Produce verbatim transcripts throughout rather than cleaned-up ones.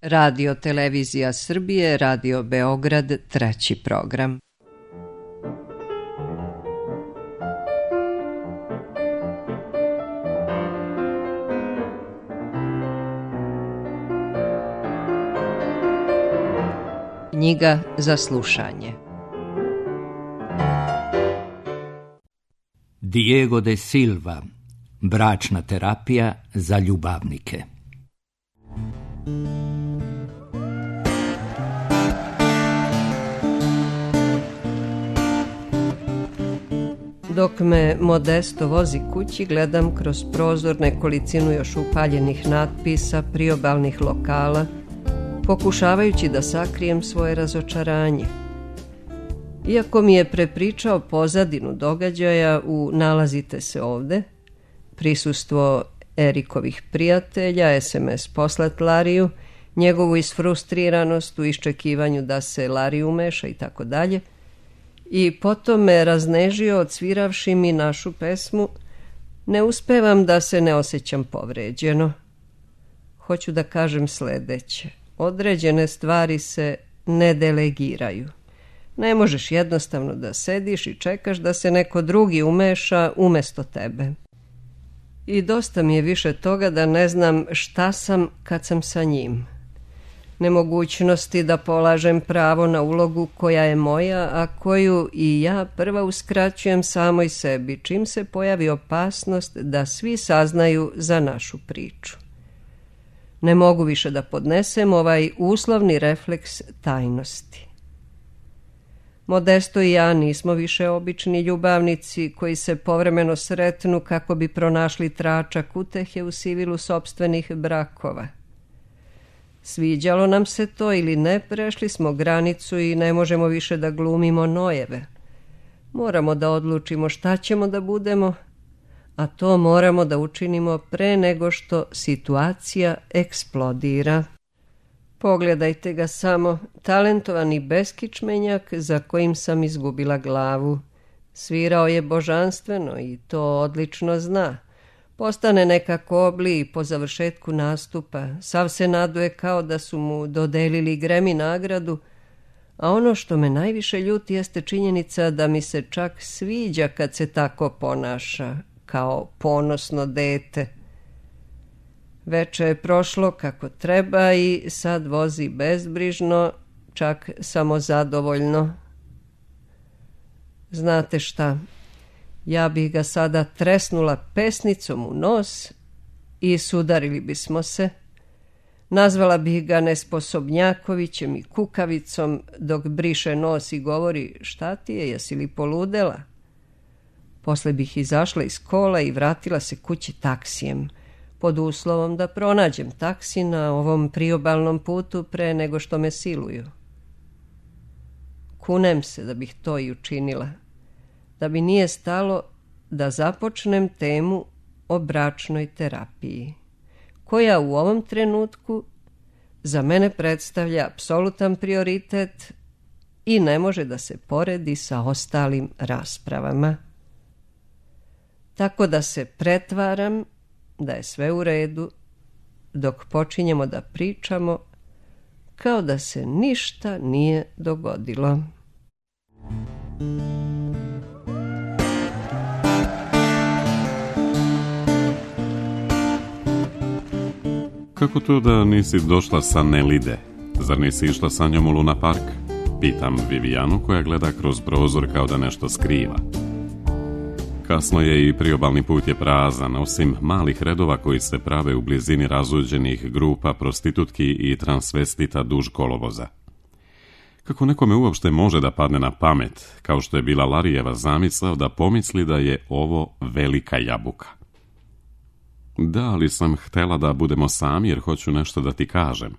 Radio Televizija Srbije, Radio Beograd, treći program. Knjiga za slušanje. Diego de Silva, bračna terapija za ljubavnike. Dok me Modesto vozi kući, gledam kroz prozor nekolicinu još upaljenih natpisa, priobalnih lokala, pokušavajući da sakrijem svoje razočaranje. Iako mi je prepričao pozadinu događaja u Nalazite se ovde, prisustvo Erikovih prijatelja, es em es poslat Lariju, njegovu isfrustriranost u iščekivanju da se Lari umeša i tako dalje, i potom me raznežio odsviravši mi našu pesmu, ne uspevam da se ne osjećam povređeno. Hoću da kažem sledeće. Određene stvari se ne delegiraju. Ne možeš jednostavno da sediš i čekaš da se neko drugi umeša umesto tebe. I dosta mi je više toga da ne znam šta sam kad sam sa njim. Nemogućnosti da polažem pravo na ulogu koja je moja, a koju i ja prva uskraćujem samoj sebi, čim se pojavi opasnost da svi saznaju za našu priču. Ne mogu više da podnesem ovaj uslovni refleks tajnosti. Modesto i ja nismo više obični ljubavnici koji se povremeno sretnu kako bi pronašli tračak utehe u sivilu sopstvenih brakova. Sviđalo nam se to ili ne, prešli smo granicu i ne možemo više da glumimo nojeve. Moramo da odlučimo šta ćemo da budemo, a to moramo da učinimo pre nego što situacija eksplodira. Pogledajte ga samo, talentovani beskičmenjak za kojim sam izgubila glavu. Svirao je božanstveno i to odlično zna. Postane nekako obli i po završetku nastupa. Sav se naduje kao da su mu dodelili Grammy nagradu, a ono što me najviše ljuti jeste činjenica da mi se čak sviđa kad se tako ponaša, kao ponosno dete. Veče je prošlo kako treba i sad vozi bezbrižno, čak samozadovoljno. Znate šta, ja bih ga sada tresnula pesnicom u nos i sudarili bismo se. Nazvala bih ga nesposobnjakovićem i kukavicom dok briše nos i govori šta ti je, jesi li poludela? Posle bih izašla iz kola i vratila se kući taksijem, pod uslovom da pronađem taksi na ovom priobalnom putu pre nego što me siluju. Kunem se da bih to i učinila, da bi nije stalo da započnem temu o bračnoj terapiji, koja u ovom trenutku za mene predstavlja apsolutan prioritet i ne može da se poredi sa ostalim raspravama. Tako da se pretvaram da je sve u redu dok počinjemo da pričamo kao da se ništa nije dogodilo. Kako to da nisi došla sa Nelide? Zar nisi išla sa njom u Luna Park? Pitam Vivijanu koja gleda kroz prozor kao da nešto skriva. Kasno je i priobalni put je prazan, osim malih redova koji se prave u blizini razuđenih grupa prostitutki i transvestita duž kolovoza. Kako nekome uopšte može da padne na pamet, kao što je bila Larijeva zamisao da pomisli da je ovo velika jabuka? Da, ali sam htela da budemo sami jer hoću nešto da ti kažem.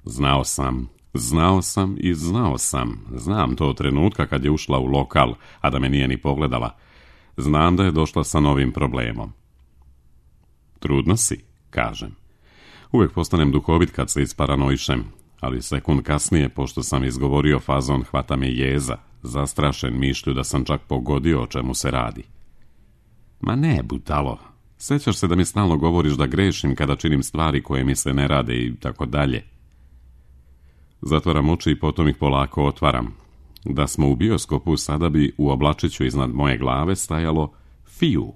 Znao sam, znao sam i znao sam. Znam to od trenutka kad je ušla u lokal, a da me nije ni pogledala. Znam da je došla sa novim problemom. Trudna si, kažem. Uvijek postanem duhovit kad se isparanoišem, ali sekund kasnije, pošto sam izgovorio fazon, hvata me jeza, zastrašen mišlju da sam čak pogodio o čemu se radi. Ma ne, budalo, Sećaš se da mi stalno govoriš da grešim kada činim stvari koje mi se ne rade i tako dalje. Zatvaram oči i potom ih polako otvaram. Da smo u bioskopu, sada bi u oblačiću iznad moje glave stajalo Fiju.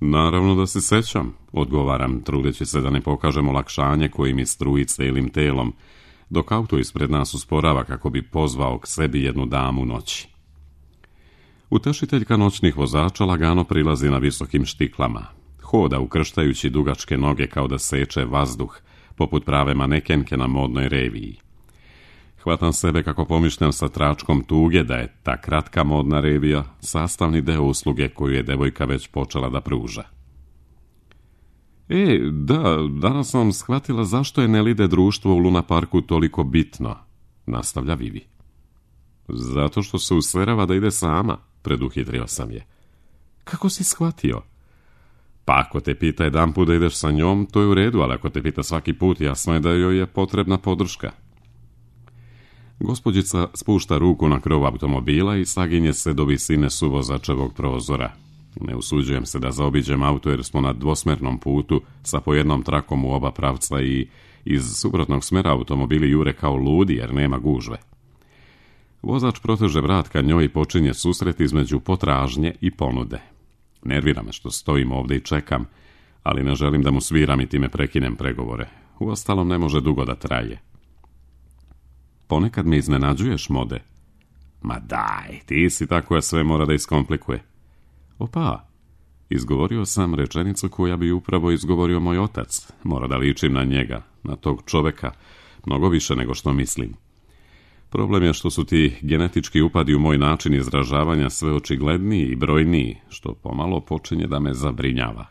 Naravno da se sećam, odgovaram, trudeći se da ne pokažem olakšanje koje mi struji celim telom, dok auto ispred nas usporava kako bi pozvao k sebi jednu damu noći. Utešiteljka noćnih vozača lagano prilazi na visokim štiklama. Hoda ukrštajući dugačke noge kao da seče vazduh, poput prave manekenke na modnoj reviji. Hvatam sebe kako pomišljam sa tračkom tuge da je ta kratka modna revija sastavni deo usluge koju je devojka već počela da pruža. E, da, danas sam shvatila zašto je Nelide društvo u Luna Parku toliko bitno, nastavlja Vivi. Zato što se userava da ide sama, preduhitrio sam je. Kako si shvatio? Pa ako te pita jedan put da ideš sa njom, to je u redu, ali ako te pita svaki put, jasno je da joj je potrebna podrška. Gospođica spušta ruku na krov automobila i saginje se do visine suvozačevog prozora. Ne usuđujem se da zaobiđem auto jer smo na dvosmernom putu sa po jednom trakom u oba pravca i iz suprotnog smera automobili jure kao ludi jer nema gužve. Vozač proteže vrat ka njoj i počinje susret između potražnje i ponude. Nervira me što stojim ovdje i čekam, ali ne želim da mu sviram i time prekinem pregovore. Uostalom ne može dugo da traje. Ponekad me iznenađuješ, Mode. Ma daj, ti si tako koja sve mora da iskomplikuje. Opa, izgovorio sam rečenicu koja bi upravo izgovorio moj otac. Mora da ličim na njega, na tog čoveka, mnogo više nego što mislim. Problem je što su ti genetički upadi u moj način izražavanja sve očigledniji i brojniji, što pomalo počinje da me zabrinjava.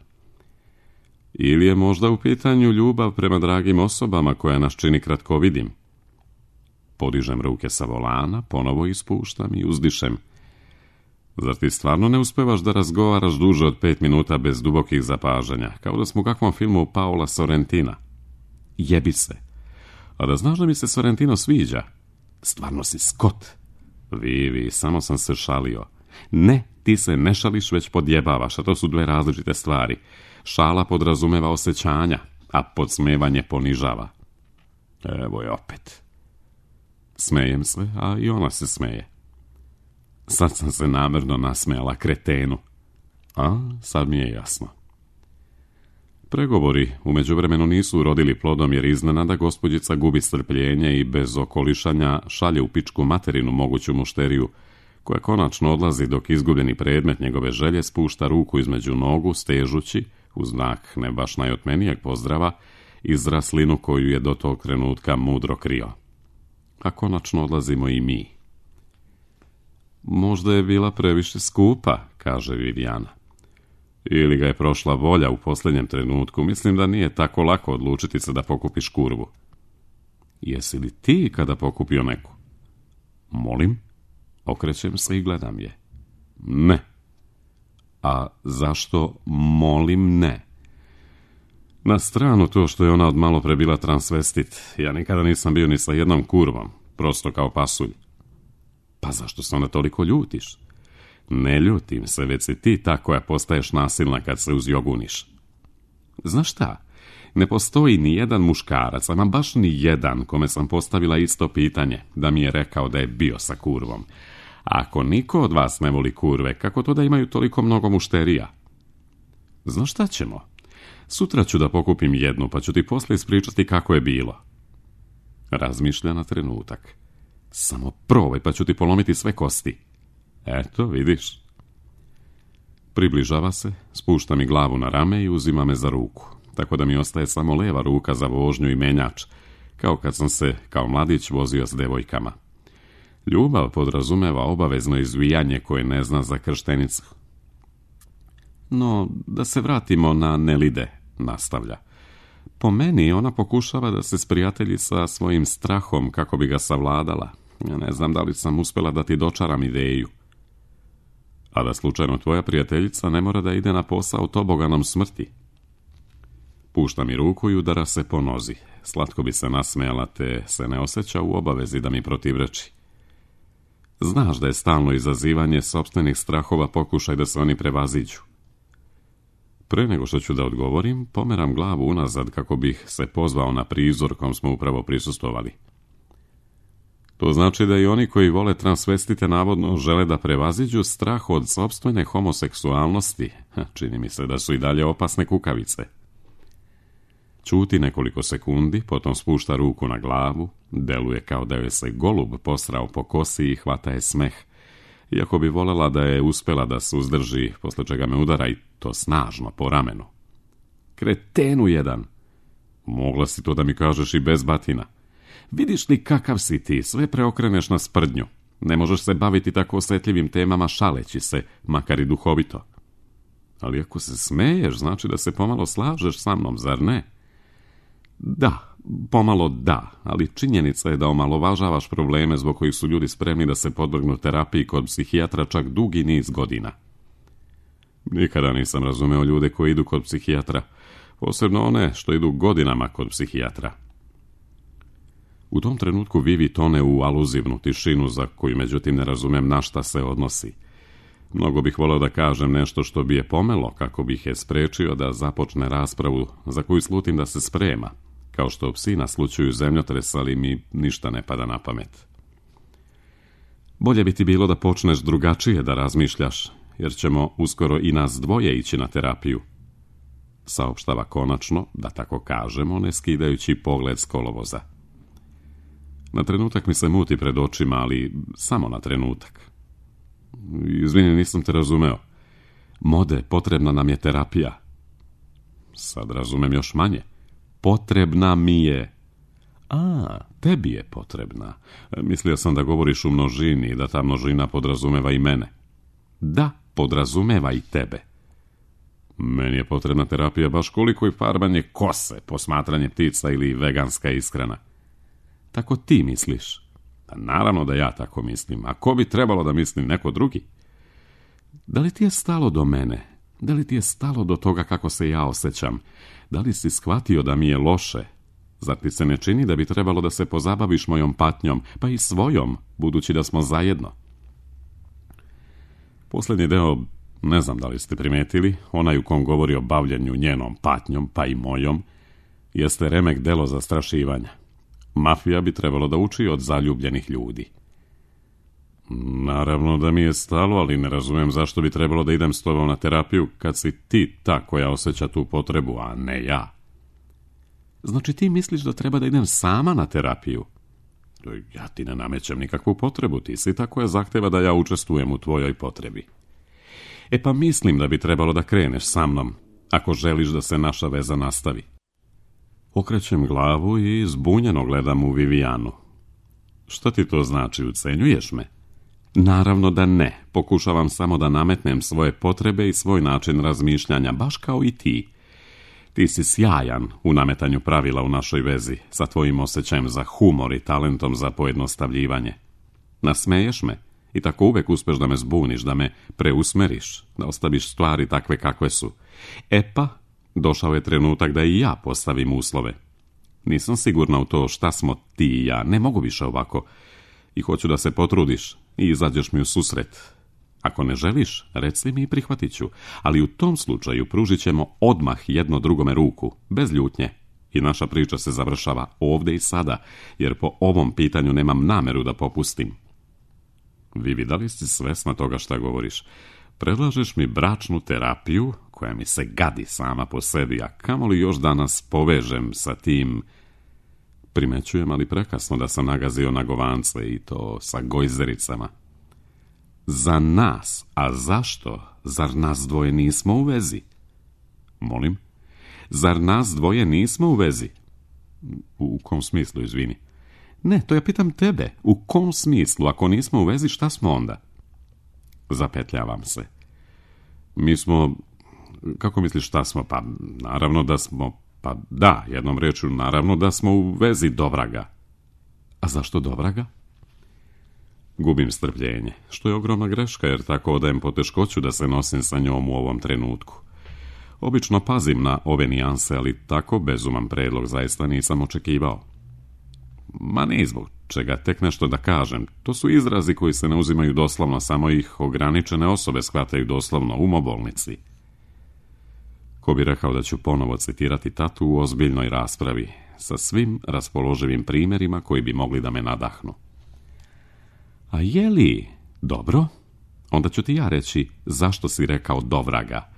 Ili je možda u pitanju ljubav prema dragim osobama koja nas čini kratkovidim. Podižem ruke sa volana, ponovo ispuštam i uzdišem. Zar ti stvarno ne uspevaš da razgovaraš duže od pet minuta bez dubokih zapažanja, kao da smo u kakvom filmu Paola Sorrentina? Jebi se. A da znaš da mi se Sorrentino sviđa? Stvarno si skot. Vivi, samo sam se šalio. Ne, ti se ne šališ, već podjebavaš, a to su dve različite stvari. Šala podrazumeva osjećanja, a podsmevanje ponižava. Evo je opet. Smejem se, a i ona se smeje. Sad sam se namjerno nasmejala kretenu. A, sad mi je jasno. Pregovori u međuvremenu nisu urodili plodom jer iznenada gospođica gubi strpljenje i bez okolišanja šalje u pičku materinu moguću mušteriju, koja konačno odlazi dok izgubljeni predmet njegove želje spušta ruku između nogu, stežući, u znak ne baš najotmenijeg pozdrava, izraslinu koju je do tog trenutka mudro krio. A konačno odlazimo i mi. Možda je bila previše skupa, kaže Viviana. Ili ga je prošla volja u posljednjem trenutku. Mislim da nije tako lako odlučiti se da pokupiš kurvu. Jesi li ti kada pokupio neku? Molim? Okrećem se i gledam je. Ne. A zašto molim ne? Na stranu to što je ona od malo pre bila transvestit. Ja nikada nisam bio ni sa jednom kurvom. Prosto kao pasulj. Pa zašto se onda toliko ljutiš? Ne ljutim se, već si ti ta koja postaješ nasilna kad se uzjoguniš. Znaš šta? Ne postoji ni jedan muškarac, ama baš ni jedan kome sam postavila isto pitanje, da mi je rekao da je bio sa kurvom. Ako niko od vas ne voli kurve, kako to da imaju toliko mnogo mušterija? Znaš šta ćemo? Sutra ću da pokupim jednu, pa ću ti posle ispričati kako je bilo. Razmišlja na trenutak. Samo probaj, pa ću ti polomiti sve kosti. Eto, vidiš. Približava se, spušta mi glavu na rame i uzima me za ruku, tako da mi ostaje samo leva ruka za vožnju i menjač, kao kad sam se, kao mladić, vozio s devojkama. Ljubav podrazumeva obavezno izvijanje koje ne zna za krštenicu. No, da se vratimo na Nelide, nastavlja. Po meni ona pokušava da se sprijatelji sa svojim strahom kako bi ga savladala. Ja ne znam da li sam uspjela da ti dočaram ideju. A da slučajno tvoja prijateljica ne mora da ide na posao toboganom smrti. Pušta mi ruku i udara se po nozi. Slatko bi se nasmejala, te se ne osjeća u obavezi da mi protivreči. Znaš da je stalno izazivanje sopstvenih strahova pokušaj da se oni prevaziđu. Pre nego što ću da odgovorim, pomeram glavu unazad kako bih se pozvao na prizor kom smo upravo prisustvovali. To znači da i oni koji vole transvestite navodno žele da prevaziđu strah od sopstvene homoseksualnosti. Čini mi se da su i dalje opasne kukavice. Ćuti nekoliko sekundi, potom spušta ruku na glavu, deluje kao da joj se golub posrao po kosi i hvata je smeh, iako bi volela da je uspela da se uzdrži, posle čega me udara i to snažno po ramenu. Kretenu jedan! Mogla si to da mi kažeš i bez batina. Vidiš li kakav si ti, sve preokreneš na sprdnju. Ne možeš se baviti tako osjetljivim temama šaleći se, makar i duhovito. Ali ako se smeješ, znači da se pomalo slažeš sa mnom, zar ne? Da, pomalo da, ali činjenica je da omalovažavaš probleme zbog kojih su ljudi spremni da se podvrgnu terapiji kod psihijatra čak dugi niz godina. Nikada nisam razumeo ljude koji idu kod psihijatra, posebno one što idu godinama kod psihijatra. U tom trenutku Vivi tone u aluzivnu tišinu za koju međutim ne razumem na šta se odnosi. Mnogo bih voleo da kažem nešto što bi je pomelo kako bih je sprečio da započne raspravu za koju slutim da se sprema, kao što psi naslućuju zemljotres, ali mi ništa ne pada na pamet. Bolje bi ti bilo da počneš drugačije da razmišljaš, jer ćemo uskoro i nas dvoje ići na terapiju. Saopštava konačno, da tako kažemo, ne skidajući pogled s kolovoza. Na trenutak mi se muti pred očima, ali samo na trenutak. Izvini, nisam te razumeo. Mode, potrebna nam je terapija. Sad razumem još manje. Potrebna mi je. A, tebi je potrebna. Mislio sam da govoriš u množini i da ta množina podrazumeva i mene. Da, podrazumeva i tebe. Meni je potrebna terapija baš koliko i farbanje kose, posmatranje ptica ili veganska ishrana. Tako ti misliš? Pa naravno da ja tako mislim. A ko bi trebalo da misli neko drugi? Da li ti je stalo do mene? Da li ti je stalo do toga kako se ja osjećam? Da li si shvatio da mi je loše? Zar ti se ne čini da bi trebalo da se pozabaviš mojom patnjom, pa i svojom, budući da smo zajedno? Posljednji deo, ne znam da li ste primetili, onaj u kom govori o bavljenju njenom patnjom, pa i mojom, jeste remek delo zastrašivanja. Mafija bi trebalo da uči od zaljubljenih ljudi. Naravno da mi je stalo, ali ne razumem zašto bi trebalo da idem s tobom na terapiju kad si ti ta koja osjeća tu potrebu, a ne ja. Znači ti misliš da treba da idem sama na terapiju? Ja ti ne namećem nikakvu potrebu, ti si ta koja zahteva da ja učestvujem u tvojoj potrebi. E pa mislim da bi trebalo da kreneš sa mnom, ako želiš da se naša veza nastavi. Okrećem glavu i zbunjeno gledam u Vivijanu. Što ti to znači, ucenjuješ me? Naravno da ne, pokušavam samo da nametnem svoje potrebe i svoj način razmišljanja, baš kao i ti. Ti si sjajan u nametanju pravila u našoj vezi, sa tvojim osjećajem za humor i talentom za pojednostavljivanje. Nasmeješ me i tako uvek uspeš da me zbuniš, da me preusmeriš, da ostaviš stvari takve kakve su. E pa, došao je trenutak da i ja postavim uslove. Nisam sigurna u to šta smo ti i ja, ne mogu više ovako. I hoću da se potrudiš i izađeš mi u susret. Ako ne želiš, reci mi i prihvatit ću, ali u tom slučaju pružit ćemo odmah jedno drugome ruku, bez ljutnje. I naša priča se završava ovdje i sada, jer po ovom pitanju nemam nameru da popustim. Vivi, da li si svesna toga šta govoriš? Predlažeš mi bračnu terapiju, koja mi se gadi sama po sebi, a kamoli još danas povežem sa tim... Primećujem, ali prekasno da sam nagazio na govance i to sa gojzericama. Za nas, a zašto? Zar nas dvoje nismo u vezi? Molim? Zar nas dvoje nismo u vezi? U, u kom smislu, izvini? Ne, to ja pitam tebe. U kom smislu? Ako nismo u vezi, šta smo onda? Zapetljavam se. Mi smo... Kako misliš šta smo? Pa naravno da smo... Pa da, jednom rečju, naravno da smo u vezi dovraga. A zašto dovraga? Gubim strpljenje, što je ogromna greška, jer tako odajem poteškoću da se nosim sa njom u ovom trenutku. Obično pazim na ove nijanse, ali tako bezuman predlog zaista nisam očekivao. Ma ne zbog čega, tek nešto da kažem. To su izrazi koji se ne uzimaju doslovno, samo ih ograničene osobe shvataju doslovno, umobolnici. Ko bi rekao da ću ponovo citirati tatu u ozbiljnoj raspravi, sa svim raspoloživim primjerima koji bi mogli da me nadahnu. A je li dobro? Onda ću ti ja reći zašto si rekao dovraga.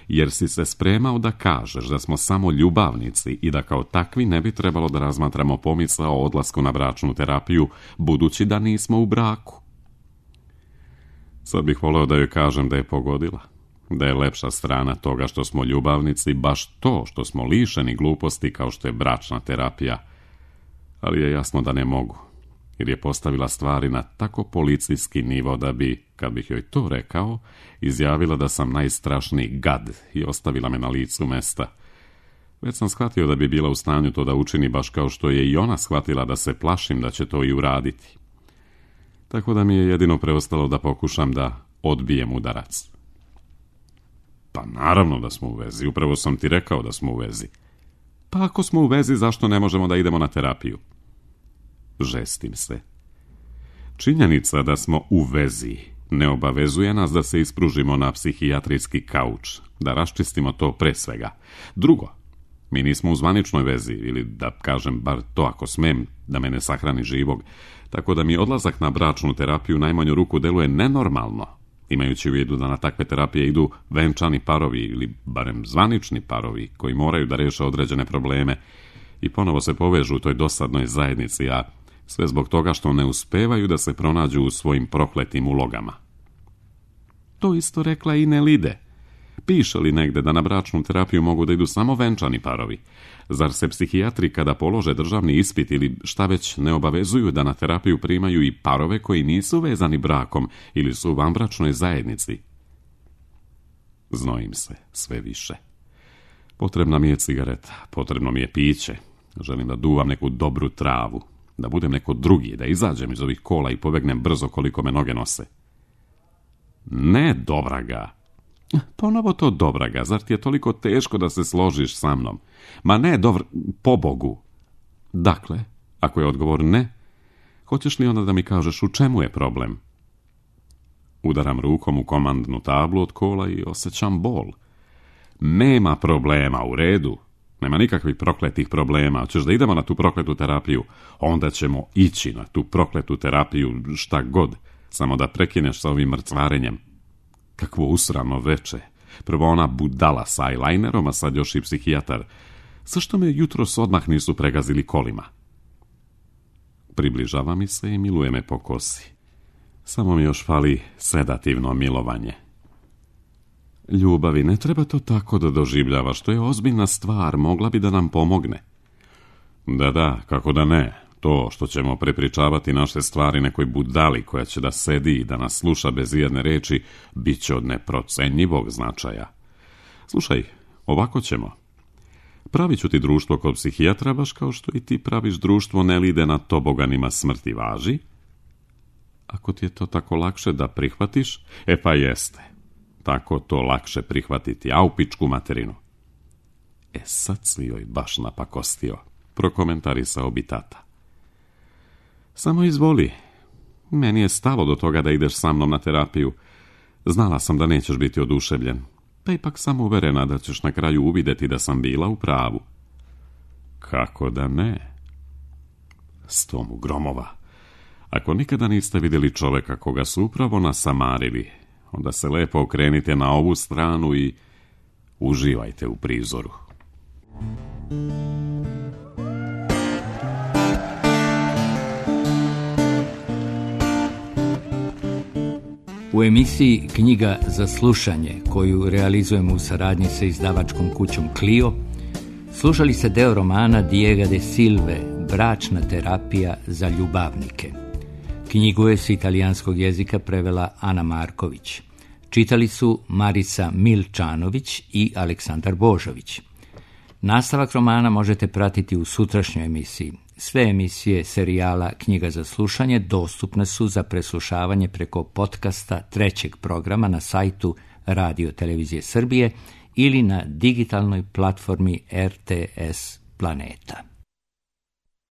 Jer si se spremao da kažeš da smo samo ljubavnici i da kao takvi ne bi trebalo da razmatramo pomisao o odlasku na bračnu terapiju, budući da nismo u braku. Sad bih voleo da joj kažem da je pogodila, da je lepša strana toga što smo ljubavnici baš to što smo lišeni gluposti kao što je bračna terapija, ali je jasno da ne mogu, jer je postavila stvari na tako policijski nivo da bi, kad bih joj to rekao, izjavila da sam najstrašniji gad i ostavila me na licu mesta. Već sam shvatio da bi bila u stanju to da učini baš kao što je i ona shvatila da se plašim da će to i uraditi. Tako da mi je jedino preostalo da pokušam da odbijem udarac. Pa naravno da smo u vezi, upravo sam ti rekao da smo u vezi. Pa ako smo u vezi, zašto ne možemo da idemo na terapiju? Žestim se. Činjenica da smo u vezi ne obavezuje nas da se ispružimo na psihijatrijski kauč, da raščistimo to pre svega. Drugo, mi nismo u zvaničnoj vezi, ili da kažem bar to ako smem, da me ne sahrani živog, tako da mi odlazak na bračnu terapiju u najmanju ruku deluje nenormalno, imajući u vidu da na takve terapije idu venčani parovi ili barem zvanični parovi koji moraju da reše određene probleme i ponovo se povežu u toj dosadnoj zajednici, a sve zbog toga što ne uspevaju da se pronađu u svojim prokletim ulogama. To isto rekla i Nelide. Piše li negde da na bračnu terapiju mogu da idu samo venčani parovi? Zar se psihijatri kada polože državni ispit ili šta već ne obavezuju da na terapiju primaju i parove koji nisu vezani brakom ili su u vanbračnoj zajednici? Znojim se sve više. Potrebna mi je cigareta, potrebno mi je piće. Želim da duvam neku dobru travu, da budem neko drugi, da izađem iz ovih kola i pobegnem brzo koliko me noge nose. Ne, dovraga. Ponovo to dovraga, zar ti je toliko teško da se složiš sa mnom? Ma ne, dovr... pobogu. Dakle, ako je odgovor ne, hoćeš li onda da mi kažeš u čemu je problem? Udaram rukom u komandnu tablu od kola i osjećam bol. Nema problema, u redu. Nema nikakvih prokletih problema. Hoćeš da idemo na tu prokletu terapiju? Onda ćemo ići na tu prokletu terapiju, šta god. Samo da prekineš sa ovim mrcvarenjem. Kakvo usrano veče. Prvo ona budala sa eyelinerom, a sad još i psihijatar. Zašto me jutros odmah nisu pregazili kolima? Približava mi se i miluje me po kosi. Samo mi još fali sedativno milovanje. Ljubavi, ne treba to tako da doživljavaš, to je ozbiljna stvar, mogla bi da nam pomogne. Da, da, kako da ne. To što ćemo prepričavati naše stvari nekoj budali koja će da sedi i da nas sluša bez jedne reči, bit će od neprocenjivog značaja. Slušaj, ovako ćemo. Pravit ću ti društvo kod psihijatra, baš kao što i ti praviš društvo Nelide na toboganima smrti, važi? Ako ti je to tako lakše da prihvatiš, e pa jeste. Tako to lakše prihvatiti, a u pičku materinu. E sad si joj baš napakostio, prokomentarisao bi tata. Samo izvoli. Meni je stalo do toga da ideš sa mnom na terapiju. Znala sam da nećeš biti oduševljen. Pa ipak sam uverena da ćeš na kraju uvidjeti da sam bila u pravu. Kako da ne? Stomu gromova. Ako nikada niste vidjeli čoveka koga su upravo nasamarili, onda se lepo okrenite na ovu stranu i uživajte u prizoru. U emisiji Knjiga za slušanje, koju realizujemo u saradnji sa izdavačkom kućom Clio, slušali se deo romana Diega de Silve, Bračna terapija za ljubavnike. Knjigu je s italijanskog jezika prevela Ana Marković. Čitali su Marica Milčanović i Aleksandar Božović. Nastavak romana možete pratiti u sutrašnjoj emisiji. Sve emisije serijala Knjiga za slušanje dostupne su za preslušavanje preko podcasta trećeg programa na sajtu Radio Televizije Srbije ili na digitalnoj platformi R T S Planeta.